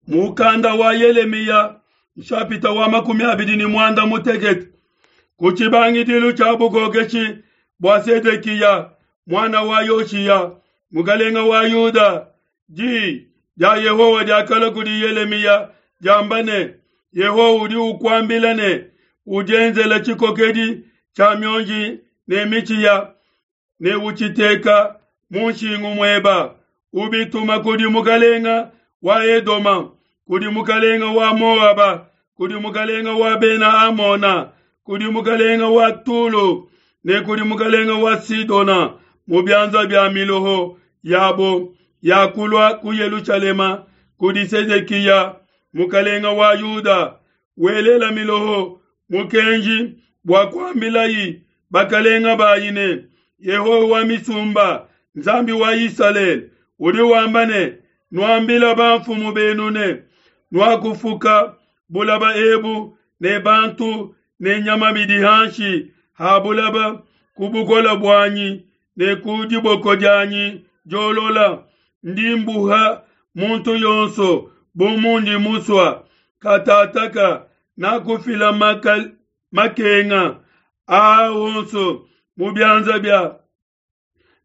Mukanda wa Yelemiya nshapita wa 28 ku tshibangidilu tshia bukokeshi bua Sedekiya muana wa Yoshiya mukalenga wa Yuda, di dia Yehowa diakalua kudi Yelemiya diamba ne, Yehowa udi ukuambila ne, udienzela tshikokedi tshia mionji ne mitshi ya ne utshiteka mu nshingu mueba, ubituma kudi mukalenga wa Edoma, kudi mukalenga wa Moaba, kudi mukalenga wa Bena Amona, kudi mukalenga wa Tulo ne kudi mukalenga wa Sidona mu bianza bia miloho yabo yakulua ku Yelushalema kudi Sedekiya mukalenga wa Yuda, welela miloho mukenji bua kuambilayi bakalenga bayi ne, Yehowa wa misumba, Nzambi wa Isalele, udi wamba ne, nuambila bamfumu benu ne, nuakufuka bulaba ebu ne bantu ne nyama bidi hanshi ha bulaba ku bukole buanyi ne ku diboko dianyi diolola. Ndi mbuha muntu yonso bu mundi musua. Katataka nakufila makenga aa onso mu bianza bia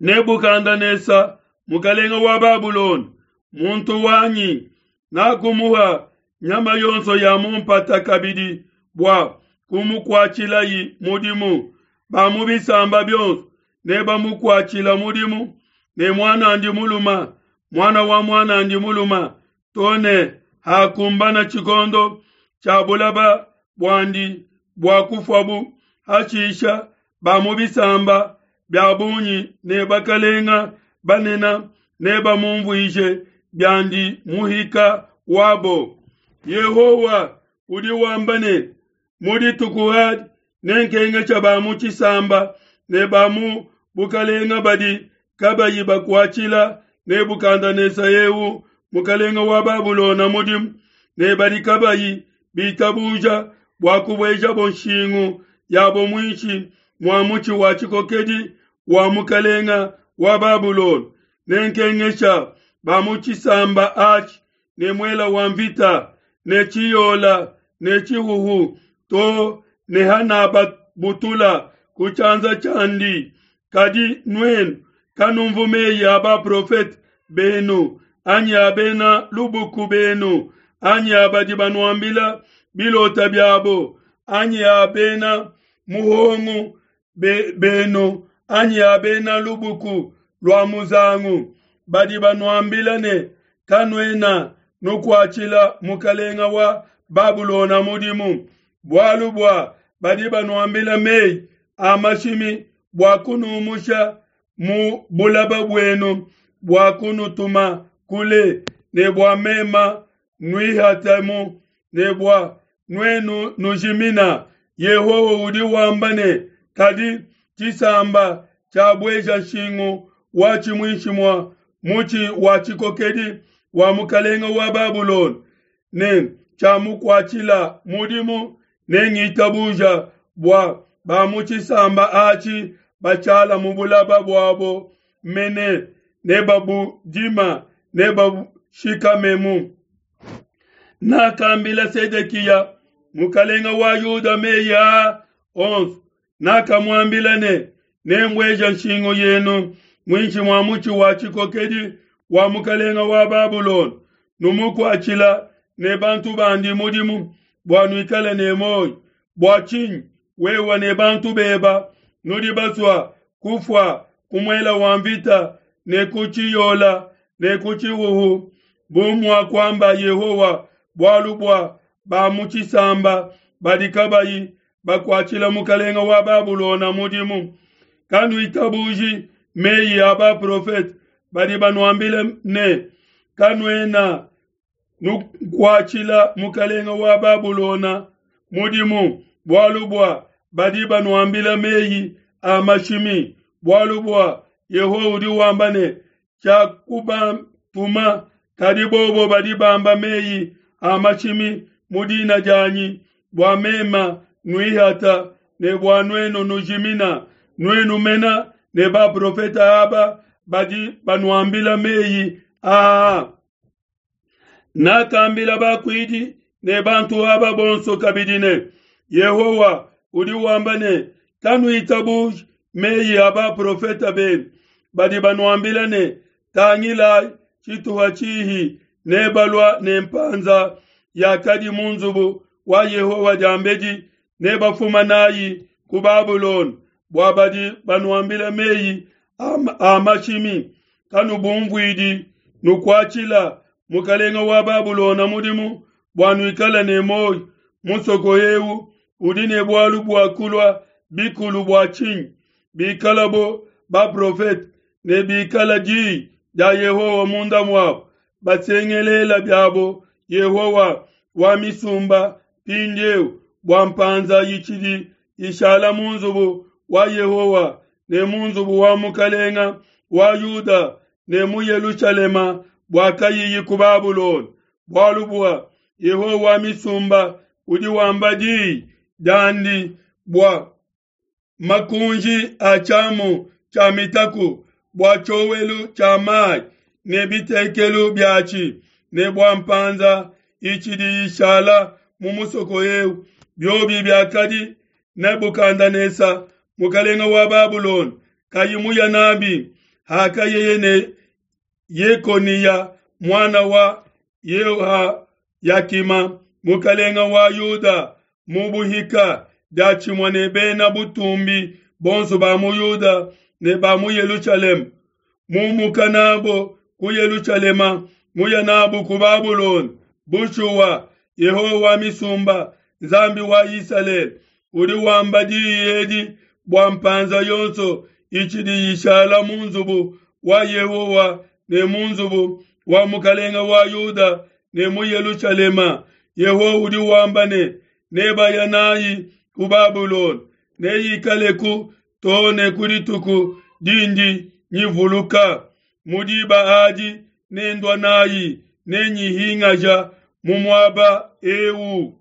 Nebukadenesa mukalenga wa Babulona, muntu wanyi, nakumuha nyama yonso ya mu mpata kabidi bua kumukuatshilayi mudimu. Ba mu bisamba bionso nebamukuatshila mudimu, ne muan'andi muluma, muana wa muan'andi muluma, to ne hakumbana tshikondo tshia bulaba buandi bua kufuabu. Hashisha ba mu bisamba bia bungi ne bakalenga banene nebamumvuije biandi muhika wabo. Yehowa udi wamba ne, mu dituku adi nenkengesha ba mu tshisamba ne ba mu bukalenga badi kabayi bakuatshila Nebukadenesa eu mukalenga wa Babulona mudimu, ne badi kabayi bitabuja bua kubuejabo nshingu yabo muinshi mua mutshi wa tshikokedi wa mukalenga wa Babulona. Nenkengesha ba mu tshisamba atshi ne muela wa mvita ne tshiyola ne tshihuhu to ne hanababutula ku tshianza tshiandi. Kadi nuenu kanumvu meyi a baprofete benu anyi a bena lubuku benu anyi a badi banuambila bilota biabo anyi a bena muhongu benu anyi a bena lubuku lua muzangu badi banuambila ne, kanuena nukuatshila mukalenga wa Babulona mudimu, bualu bua badi banuambila meyi a mashimi bua kunumusha mu bulaba buenu, bua kunutuma kule, ne bua mema nuihatemu, ne bua nuenu nujimina. Yehowa udi wamba ne, kadi tshisamba tshiabueja nshingu watshi muinshi mua mutshi wa tshikokedi wa mukalenga wa Babulona ne tshiamukuatshila mudimu, nengitabuja bua ba mu tshisamba atshi batshala mu bulaba buabo mene, ne babudima ne babushikamemu. Nakambila Sedekiya mukalenga wa Yuda meyi aa onso, nakamuambila ne, nembueja nshingu yenu muinshi mua mutshi wa tshikokedi wa mukalenga wa Babulona, numukuatshila ne bantu bandi mudimu bua nuikale ne muoyo. Bua tshinyi wewe ne bantu beba nudi basua kufua ku muela wa mvita ne ku tshiyola ne ku tshihuhu, bu muakuamba Yehowa, bualu bua ba mu tshisamba badi kabayi bakuatshila mukalenga wa Babulona mudimu? Kanuitabuji meyi a baprofete badi banuambila ne, kanuena nukuatshila mukalenga wa Babulona mudimu, bualu bua badi banuambila meyi a mashimi. Bualu bua Yehowa udi wamba ne, tshiakubatuma, kadi bobo badi bamba meyi a mashimi mu dina dianyi, bua mema nuihata ne bua nuenu nujimina, nuenu mena ne baprofete aba badi banuambila meyi aa. Nakambila bakuidi ne bantu aba bonso kabidi ne, Yehowa udi wamba ne, Kanuitabuji meyi a baprofete benu badi banuambila ne, Tangilai, tshituha tshihi nebalua ne mpanza yakadi mu nzubu wa Yehowa diambedi, nebafuma nayi ku Babulona, bua badi banuambila meyi a mashimi, kanubumvuidi, nukuatshila mukalenge wa Babulona mudimu bua nuikale ne muoyo. Musoko eu udi ne bualu bua kulua bikulu bua tshinyi? Bikalabo baprofete ne bikala diyi dia Yehowa munda muabo, basengelela biabo Yehowa wa misumba mpindieu bua mpanza itshidi ishala mu nzubu wa Yehowa ne mu nzubu wa mukalenga wa Yuda ne mu Yelushalema bua kayiyi ku Babulona. Bualu bua Yehowa wa misumba udi wamba diyi diandi bua makunji a tshiamu tshia mitaku, bua tshiowelu tshia mayi ne bitekelu biatshi, ne bua mpanza itshidi ishala mu musoko eu, biobi biakadi Nebukadenesa mukalenge wa Babulona kayi muya nabi hakayeye ne Yekoniya muana wa Yehoyakima mukalenge wa Yuda mu buhika diatshimue ne bena butumbi bonso ba mu Yuda ne ba mu Yelushalema, mumuka nabo ku Yelushalema muya nabo ku Babulona. Bushuwa, Yehowa wa misumba, Nzambi wa Isalele, udi wamba diyi edi bua mpanza yonso itshidi ishala mu nzubu wa Yehowa ne mu nzubu wa mukalenge wa Yuda ne mu Yelushalema. Yehowa udi wamba ne, nebaya nayi ku Babulona, neyikaleku too ne ku dituku dindi nyivuluka. Mu diba adi nendua nayi, nenyihingaja mu muaba eu.